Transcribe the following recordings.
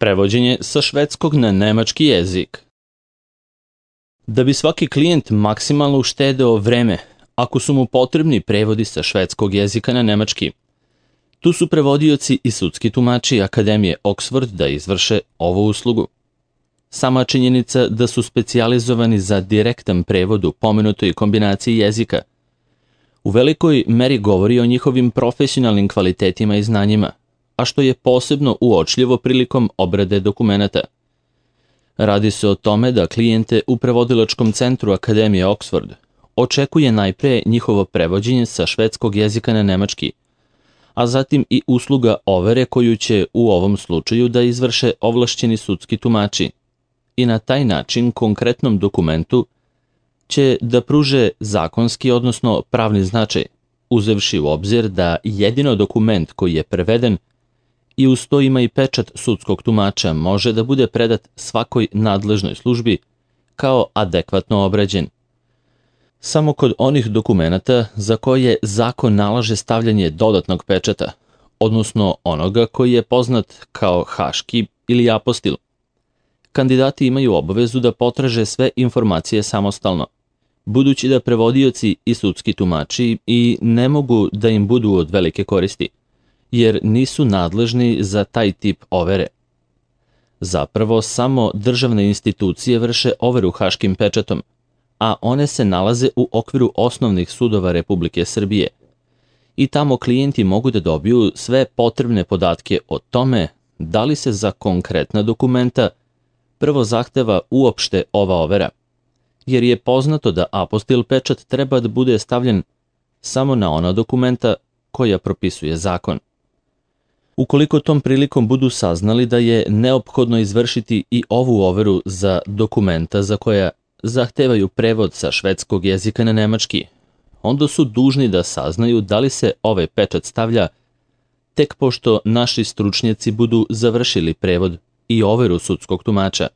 Prevođenje sa švedskog na nemački jezik. Da bi svaki klijent maksimalno uštedeo vreme, ako su mu potrebni prevodi sa švedskog jezika na nemački, tu su prevodioci i sudski tumači Akademije Oxford da izvrše ovu uslugu. Sama činjenica da su specijalizovani za direktan prevod u pomenutoj kombinaciji jezika u velikoj meri govori o njihovim profesionalnim kvalitetima i znanjima, a što je posebno uočljivo prilikom obrade dokumenata. Radi se o tome da klijente u prevodilačkom centru Akademije Oxford očekuje najpre njihovo prevođenje sa švedskog jezika na nemački, a zatim i usluga overe koju će u ovom slučaju da izvrše ovlašćeni sudski tumači i na taj način konkretnom dokumentu će da pruže zakonski, odnosno pravni značaj, uzevši u obzir da jedino dokument koji je preveden i uz to ima i pečat sudskog tumača može da bude predat svakoj nadležnoj službi kao adekvatno obrađen. Samo kod onih dokumenata za koje zakon nalaže stavljanje dodatnog pečata, odnosno onoga koji je poznat kao haški ili apostil, kandidati imaju obavezu da potraže sve informacije samostalno, budući da prevodioci i sudski tumači i ne mogu da im budu od velike koristi, jer nisu nadležni za taj tip overe. Zapravo, samo državne institucije vrše overu haškim pečatom, a one se nalaze u okviru osnovnih sudova Republike Srbije i tamo klijenti mogu da dobiju sve potrebne podatke o tome da li se za konkretna dokumenta prvo zahteva uopšte ova overa, jer je poznato da apostil pečat treba da bude stavljen samo na ona dokumenta koja propisuje zakon. Ukoliko tom prilikom budu saznali da je neophodno izvršiti i ovu overu za dokumenta za koja zahtevaju prevod sa švedskog jezika na nemački, onda su dužni da saznaju da li se ovaj pečat stavlja tek pošto naši stručnjaci budu završili prevod i overu sudskog tumača,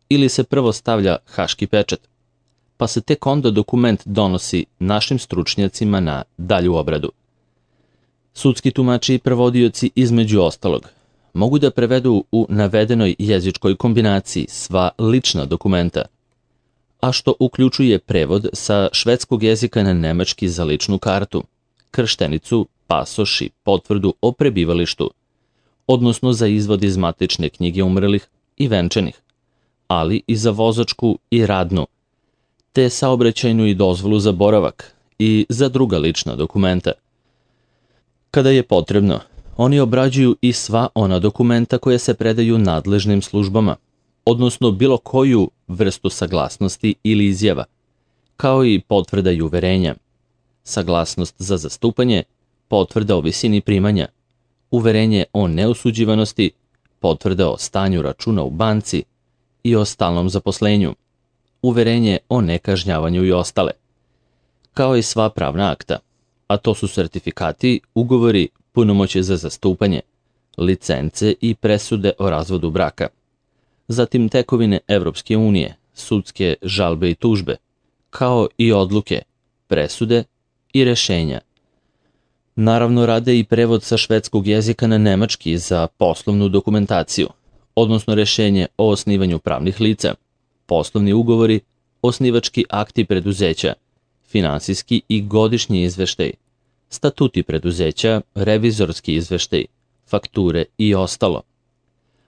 ili se prvo stavlja haški pečat, pa se tek onda dokument donosi našim stručnjacima na dalju obradu. Sudski tumači i prevodioci između ostalog mogu da prevedu u navedenoj jezičkoj kombinaciji sva lična dokumenta, a što uključuje prevod sa švedskog jezika na nemački za ličnu kartu, krštenicu, pasoš i potvrdu o prebivalištu, odnosno za izvod iz matične knjige umrlih i venčanih, ali i za vozačku i radnu, te saobraćajnu i dozvolu za boravak i za druga lična dokumenta. Kada je potrebno, oni obrađuju i sva ona dokumenta koje se predaju nadležnim službama, odnosno bilo koju vrstu saglasnosti ili izjava, kao i potvrda i uverenja, saglasnost za zastupanje, potvrda o visini primanja, uverenje o neosuđivanosti, potvrda o stanju računa u banci i o stalnom zaposlenju, uverenje o nekažnjavanju i ostale, kao i sva pravna akta, a to su sertifikati, ugovori, punomoćje za zastupanje, licence i presude o razvodu braka, zatim tekovine Evropske unije, sudske žalbe i tužbe, kao i odluke, presude i rešenja. Naravno, rade i prevod sa švedskog jezika na nemački za poslovnu dokumentaciju, odnosno rešenje o osnivanju pravnih lica, poslovni ugovori, osnivački akti preduzeća, finansijski i godišnji izveštaj, statuti preduzeća, revizorski izveštaj, fakture i ostalo,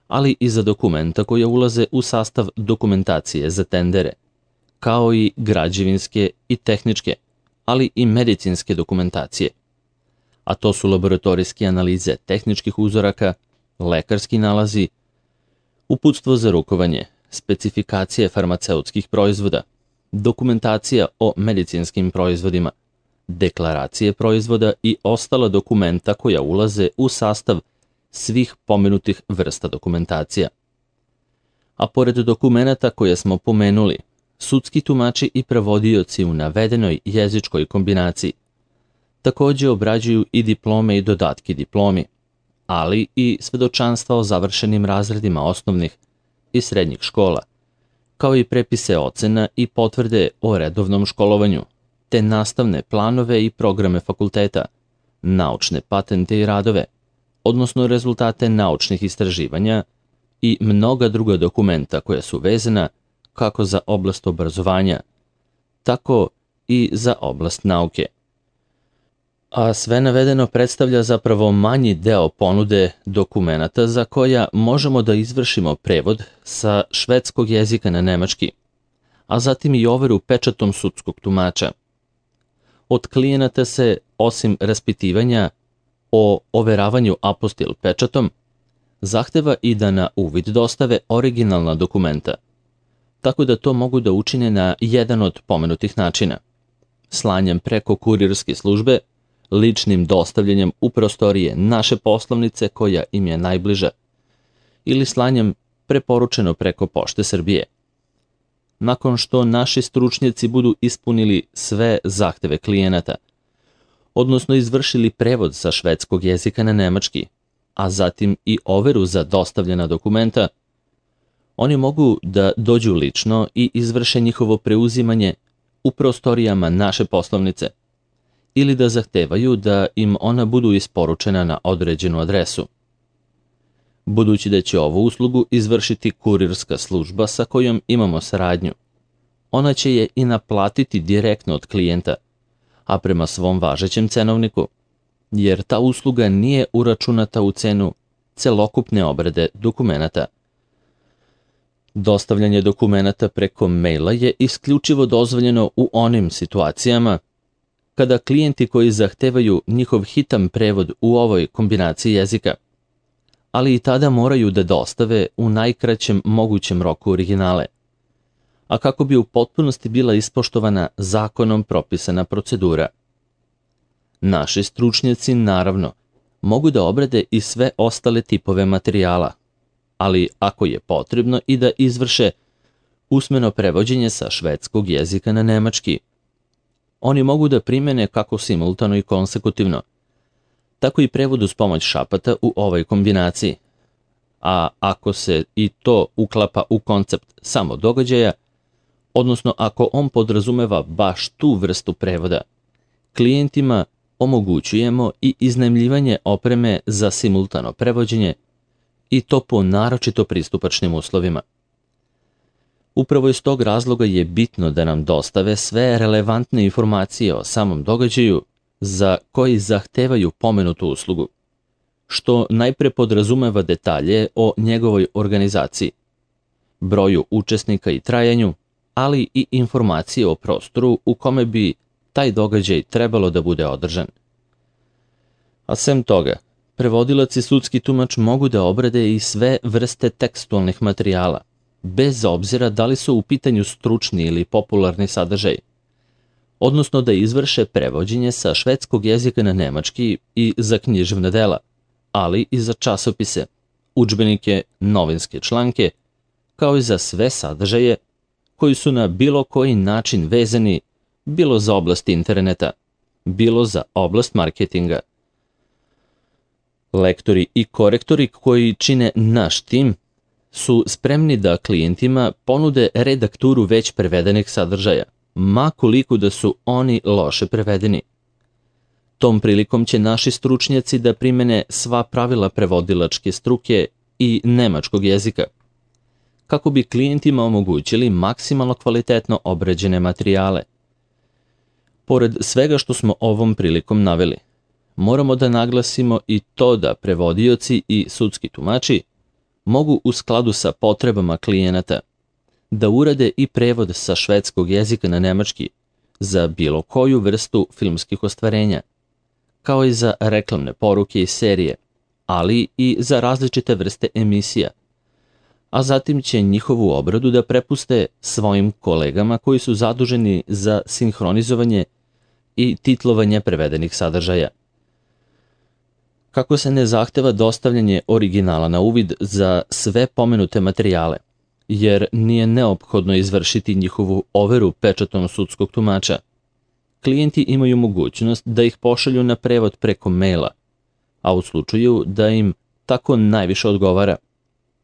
ali i za dokumenta koja ulaze u sastav dokumentacije za tendere, kao i građevinske i tehničke, ali i medicinske dokumentacije. A to su laboratorijske analize tehničkih uzoraka, lekarski nalazi, uputstvo za rukovanje, specifikacije farmaceutskih proizvoda, dokumentacija o medicinskim proizvodima, deklaracije proizvoda i ostala dokumenta koja ulaze u sastav svih pomenutih vrsta dokumentacija. A pored dokumenata koje smo pomenuli, sudski tumači i prevodioci u navedenoj jezičkoj kombinaciji takođe obrađuju i diplome i dodatke diplomi, ali i svedočanstva o završenim razredima osnovnih i srednjih škola, kao i prepise ocena i potvrde o redovnom školovanju, te nastavne planove i programe fakulteta, naučne patente i radove, odnosno rezultate naučnih istraživanja i mnoga druga dokumenta koja su vezana kako za oblast obrazovanja, tako i za oblast nauke. A sve navedeno predstavlja zapravo manji deo ponude dokumenata za koja možemo da izvršimo prevod sa švedskog jezika na nemački, a zatim i overu pečatom sudskog tumača. Od klijenata se, osim raspitivanja o overavanju apostil pečatom, zahteva i da na uvid dostave originalna dokumenta, tako da to mogu da učine na jedan od pomenutih načina: slanjem preko kurirske službe, ličnim dostavljanjem u prostorije naše poslovnice koja im je najbliža, ili slanjem preporučeno preko Pošte Srbije. Nakon što naši stručnjaci budu ispunili sve zahteve klijenata, odnosno izvršili prevod sa švedskog jezika na nemački, a zatim i overu za dostavljena dokumenta, oni mogu da dođu lično i izvrše njihovo preuzimanje u prostorijama naše poslovnice, ili da zahtevaju da im ona budu isporučena na određenu adresu. Budući da će ovu uslugu izvršiti kurirska služba sa kojom imamo saradnju, ona će je i naplatiti direktno od klijenta, a prema svom važećem cenovniku, jer ta usluga nije uračunata u cenu celokupne obrade dokumenata. Dostavljanje dokumenata preko maila je isključivo dozvoljeno u onim situacijama kada klijenti koji zahtevaju njihov hitan prevod u ovoj kombinaciji jezika, ali i tada moraju da dostave u najkraćem mogućem roku originale, a kako bi u potpunosti bila ispoštovana zakonom propisana procedura. Naši stručnjaci, naravno, mogu da obrade i sve ostale tipove materijala, ali ako je potrebno i da izvrše usmeno prevođenje sa švedskog jezika na nemački, oni mogu da primene kako simultano i konsekutivno, tako i prevod uz pomoć šapata u ovoj kombinaciji. A ako se i to uklapa u koncept samo događaja, odnosno ako on podrazumeva baš tu vrstu prevoda, klijentima omogućujemo i iznajmljivanje opreme za simultano prevođenje, i to po naročito pristupačnim uslovima. Upravo iz tog razloga je bitno da nam dostave sve relevantne informacije o samom događaju za koji zahtevaju pomenutu uslugu, što najpre podrazumeva detalje o njegovoj organizaciji, broju učesnika i trajanju, ali i informacije o prostoru u kome bi taj događaj trebalo da bude održan. A sem toga, prevodilac i sudski tumač mogu da obrade i sve vrste tekstualnih materijala, bez obzira da li su u pitanju stručni ili popularni sadržaj, odnosno da izvrše prevođenje sa švedskog jezika na nemački i za književna dela, ali i za časopise, udžbenike, novinske članke, kao i za sve sadržaje koji su na bilo koji način vezani bilo za oblast interneta, bilo za oblast marketinga. Lektori i korektori koji čine naš tim su spremni da klijentima ponude redakturu već prevedenih sadržaja, ma koliko da su oni loše prevedeni. Tom prilikom će naši stručnjaci da primene sva pravila prevodilačke struke i nemačkog jezika, kako bi klijentima omogućili maksimalno kvalitetno obrađene materijale. Pored svega što smo ovom prilikom naveli, moramo da naglasimo i to da prevodioci i sudski tumači mogu u skladu sa potrebama klijenata da urade i prevod sa švedskog jezika na nemački za bilo koju vrstu filmskih ostvarenja, kao i za reklamne poruke i serije, ali i za različite vrste emisija, a zatim će njihovu obradu da prepuste svojim kolegama koji su zaduženi za sinhronizovanje i titlovanje prevedenih sadržaja. Kako se ne zahteva dostavljanje originala na uvid za sve pomenute materijale, jer nije neophodno izvršiti njihovu overu pečatom sudskog tumača, klijenti imaju mogućnost da ih pošalju na prevod preko maila, a u slučaju da im tako najviše odgovara,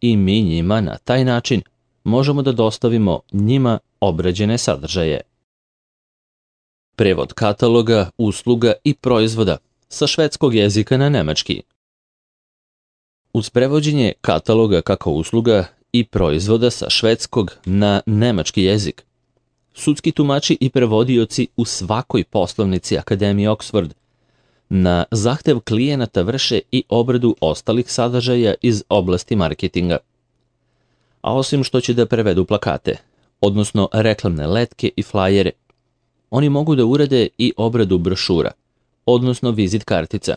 i mi njima na taj način možemo da dostavimo njima obrađene sadržaje. Prevod kataloga, usluga i proizvoda sa švedskog jezika na nemački. Uz prevođenje kataloga kako usluga i proizvoda sa švedskog na nemački jezik, sudski tumači i prevodioci u svakoj poslovnici Akademije Oxford na zahtev klijenata vrše i obradu ostalih sadržaja iz oblasti marketinga. A osim što će da prevedu plakate, odnosno reklamne letke i flajere, oni mogu da urade i obradu brošura, odnosno vizit kartica,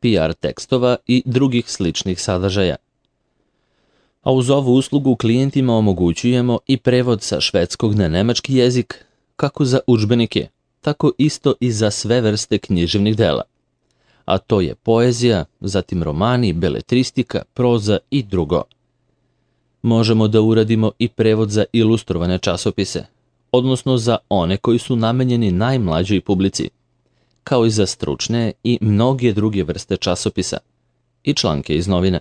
PR tekstova i drugih sličnih sadržaja. A uz ovu uslugu klijentima omogućujemo i prevod sa švedskog na nemački jezik, kako za udžbenike, tako isto i za sve vrste književnih dela. A to je poezija, zatim romani, beletristika, proza i drugo. Možemo da uradimo i prevod za ilustrovane časopise, odnosno za one koji su namenjeni najmlađoj publici, kao i za stručne i mnoge druge vrste časopisa i članke iz novina.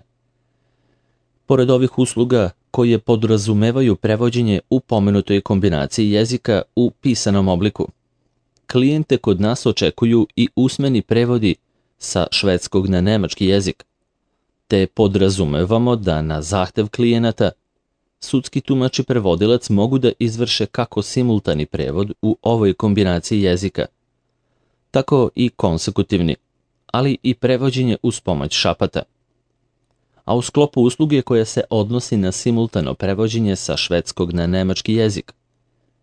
Pored ovih usluga koje podrazumevaju prevođenje u pomenutoj kombinaciji jezika u pisanom obliku, klijente kod nas očekuju i usmeni prevodi sa švedskog na nemački jezik, te podrazumevamo da na zahtev klijenata sudski tumač i prevodilac mogu da izvrše kako simultani prevod u ovoj kombinaciji jezika, tako i konsekutivni, ali i prevođenje uz pomoć šapata. A u sklopu usluge koja se odnosi na simultano prevođenje sa švedskog na nemački jezik,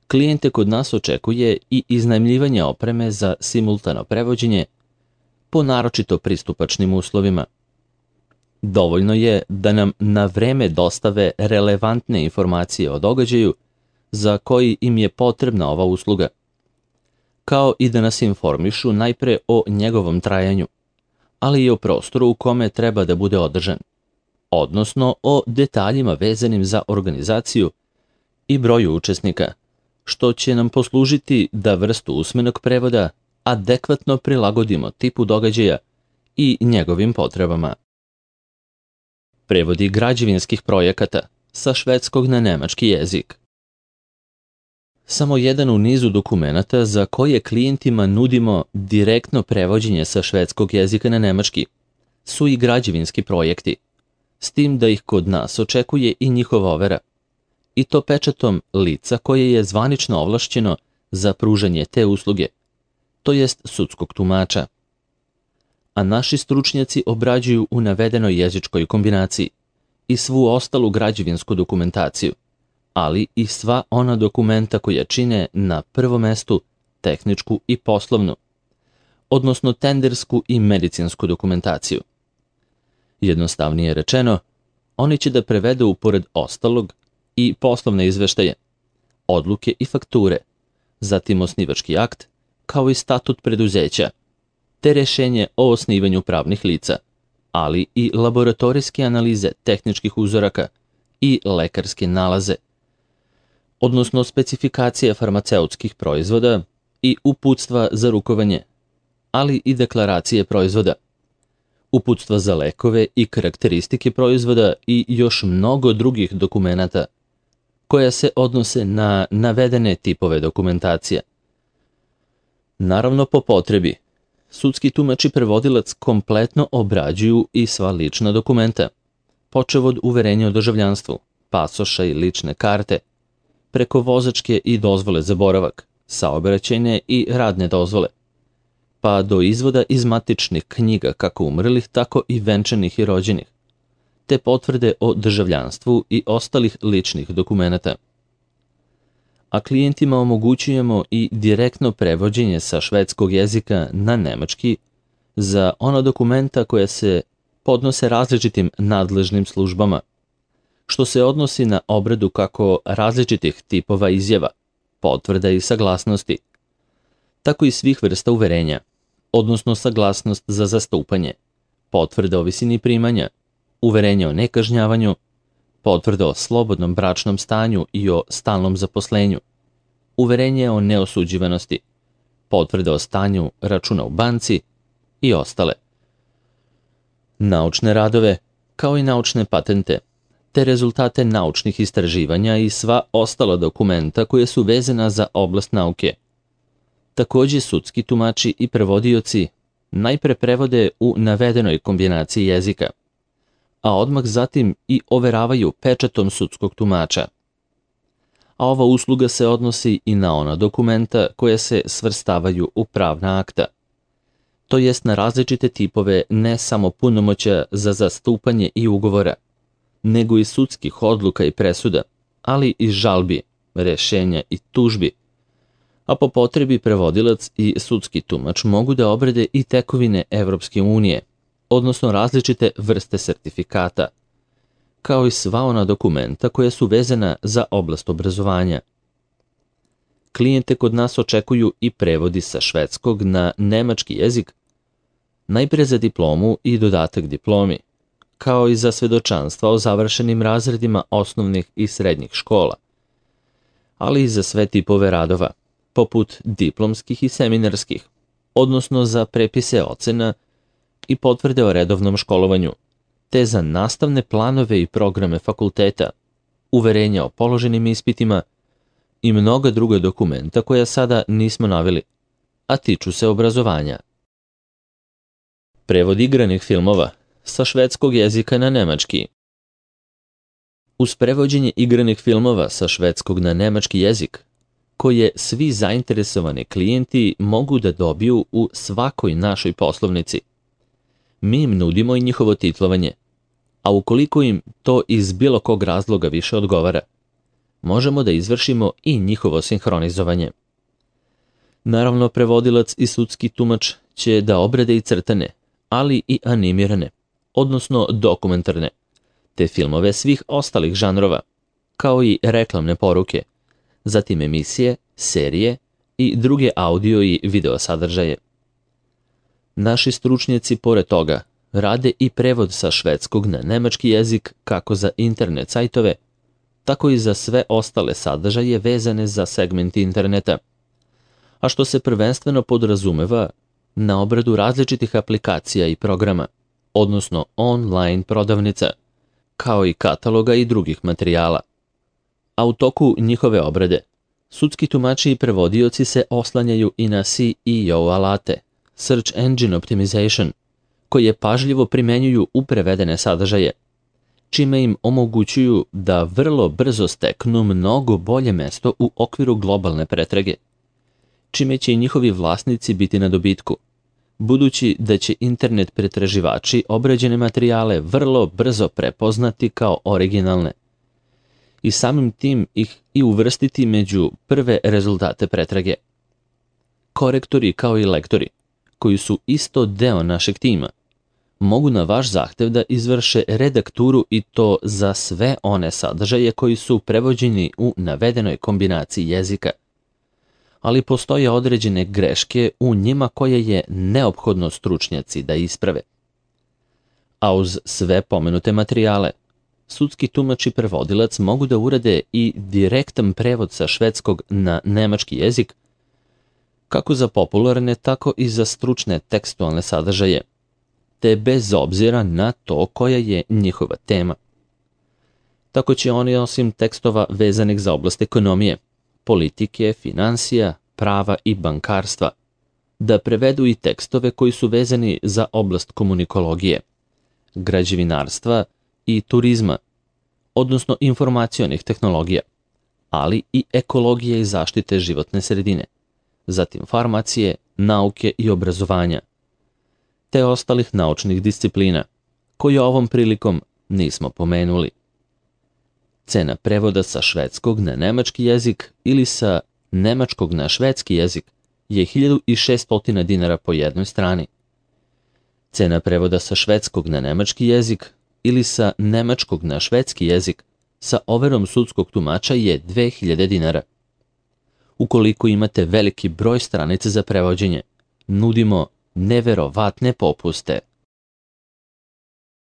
klijente kod nas očekuje i iznajmljivanje opreme za simultano prevođenje po naročito pristupačnim uslovima. Dovoljno je da nam na vreme dostave relevantne informacije o događaju za koji im je potrebna ova usluga, kao i da nas informišu najpre o njegovom trajanju, ali i o prostoru u kome treba da bude održan, odnosno o detaljima vezanim za organizaciju i broju učesnika, što će nam poslužiti da vrstu usmenog prevoda adekvatno prilagodimo tipu događaja i njegovim potrebama. Prevodi građevinskih projekata sa švedskog na nemački jezik. Samo jedan u nizu dokumenata za koje klijentima nudimo direktno prevođenje sa švedskog jezika na nemački su i građevinski projekti, s tim da ih kod nas očekuje i njihova overa, i to pečatom lica koje je zvanično ovlašćeno za pružanje te usluge, to jest sudskog tumača. A naši stručnjaci obrađuju u navedenoj jezičkoj kombinaciji i svu ostalu građevinsku dokumentaciju, ali i sva ona dokumenta koja čine na prvom mestu tehničku i poslovnu, odnosno tendersku i medicinsku dokumentaciju. Jednostavnije rečeno, oni će da prevedu pored ostalog i poslovne izveštaje, odluke i fakture, zatim osnivački akt, kao i statut preduzeća, te rešenje o osnivanju pravnih lica, ali i laboratorijske analize tehničkih uzoraka i lekarske nalaze, odnosno specifikacije farmaceutskih proizvoda i uputstva za rukovanje, ali i deklaracije proizvoda, uputstva za lekove i karakteristike proizvoda i još mnogo drugih dokumenata koja se odnose na navedene tipove dokumentacija. Naravno, po potrebi, sudski tumač i prevodilac kompletno obrađuju i sva lična dokumenta, počev od uverenja o državljanstvu, pasoša i lične karte, preko vozačke i dozvole za boravak, saobraćajne i radne dozvole, pa do izvoda iz matičnih knjiga kako umrlih, tako i venčanih i rođenih, te potvrde o državljanstvu i ostalih ličnih dokumenata. A klijentima omogućujemo i direktno prevođenje sa švedskog jezika na nemački za ona dokumenta koja se podnose različitim nadležnim službama, što se odnosi na obradu kako različitih tipova izjava, potvrda i saglasnosti, tako i svih vrsta uverenja, odnosno saglasnost za zastupanje, potvrda o visini primanja, uverenje o nekažnjavanju, potvrda o slobodnom bračnom stanju i o stalnom zaposlenju, uverenje o neosuđivanosti, potvrda o stanju računa u banci i ostale. Naučne radove, kao i naučne patente, te rezultate naučnih istraživanja i sva ostala dokumenta koje su vezana za oblast nauke. Takođe, sudski tumači i prevodioci najpre prevode u navedenoj kombinaciji jezika, a odmah zatim i overavaju pečatom sudskog tumača. A ova usluga se odnosi i na ona dokumenta koja se svrstavaju u pravna akta, to jest na različite tipove ne samo punomoćja za zastupanje i ugovora, nego i sudskih odluka i presuda, ali i žalbi, rešenja i tužbi, a po potrebi prevodilac i sudski tumač mogu da obrade i tekovine Evropske unije, odnosno različite vrste sertifikata, kao i sva ona dokumenta koja su vezana za oblast obrazovanja. Klijente kod nas očekuju i prevodi sa švedskog na nemački jezik, najpre za diplomu i dodatak diplomi, kao i za svedočanstva o završenim razredima osnovnih i srednjih škola, ali i za sve tipove radova, poput diplomskih i seminarskih, odnosno za prepise ocena i potvrde o redovnom školovanju, te za nastavne planove i programe fakulteta, uverenja o položenim ispitima i mnoga druga dokumenta koja sada nismo naveli, a tiču se obrazovanja. Prevod igranih filmova sa švedskog jezika na nemački. Uz prevođenje igranih filmova sa švedskog na nemački jezik, koje svi zainteresovani klijenti mogu da dobiju u svakoj našoj poslovnici, mi im nudimo i njihovo titlovanje, a ukoliko im to iz bilo kog razloga više odgovara, možemo da izvršimo i njihovo sinhronizovanje. Naravno, prevodilac i sudski tumač će da obrade i crtane, ali i animirane, odnosno dokumentarne, te filmove svih ostalih žanrova, kao i reklamne poruke, zatim emisije, serije i druge audio i video sadržaje. Naši stručnjaci, pored toga, rade i prevod sa švedskog na nemački jezik kako za internet sajtove, tako i za sve ostale sadržaje vezane za segment interneta, a što se prvenstveno podrazumeva na obradu različitih aplikacija i programa, odnosno online prodavnica, kao i kataloga i drugih materijala. A u toku njihove obrade, sudski tumači i prevodioci se oslanjaju i na SEO alate, Search Engine Optimization, koje pažljivo primenjuju u prevedene sadržaje, čime im omogućuju da vrlo brzo steknu mnogo bolje mesto u okviru globalne pretrage, čime će i njihovi vlasnici biti na dobitku, budući da će internet pretraživači obrađene materijale vrlo brzo prepoznati kao originalne i samim tim ih i uvrstiti među prve rezultate pretrage. Korektori kao i lektori, koji su isto deo našeg tima, mogu na vaš zahtev da izvrše redakturu i to za sve one sadržaje koji su prevođeni u navedenoj kombinaciji jezika, ali postoje određene greške u njima koje je neophodno stručnjaci da isprave. A uz sve pomenute materijale, sudski tumač i prevodilac mogu da urade i direktan prevod sa švedskog na nemački jezik, kako za popularne, tako i za stručne tekstualne sadržaje, te bez obzira na to koja je njihova tema. Tako će oni osim tekstova vezanih za oblast ekonomije, politike, finansija, prava i bankarstva, da prevedu i tekstove koji su vezani za oblast komunikologije, građevinarstva i turizma, odnosno informacionih tehnologija, ali i ekologije i zaštite životne sredine, zatim farmacije, nauke i obrazovanja, te ostalih naučnih disciplina, koje ovom prilikom nismo pomenuli. Cena prevoda sa švedskog na nemački jezik ili sa nemačkog na švedski jezik je 1600 dinara po jednoj strani. Cena prevoda sa švedskog na nemački jezik ili sa nemačkog na švedski jezik sa overom sudskog tumača je 2000 dinara. Ukoliko imate veliki broj stranica za prevođenje, nudimo neverovatne popuste.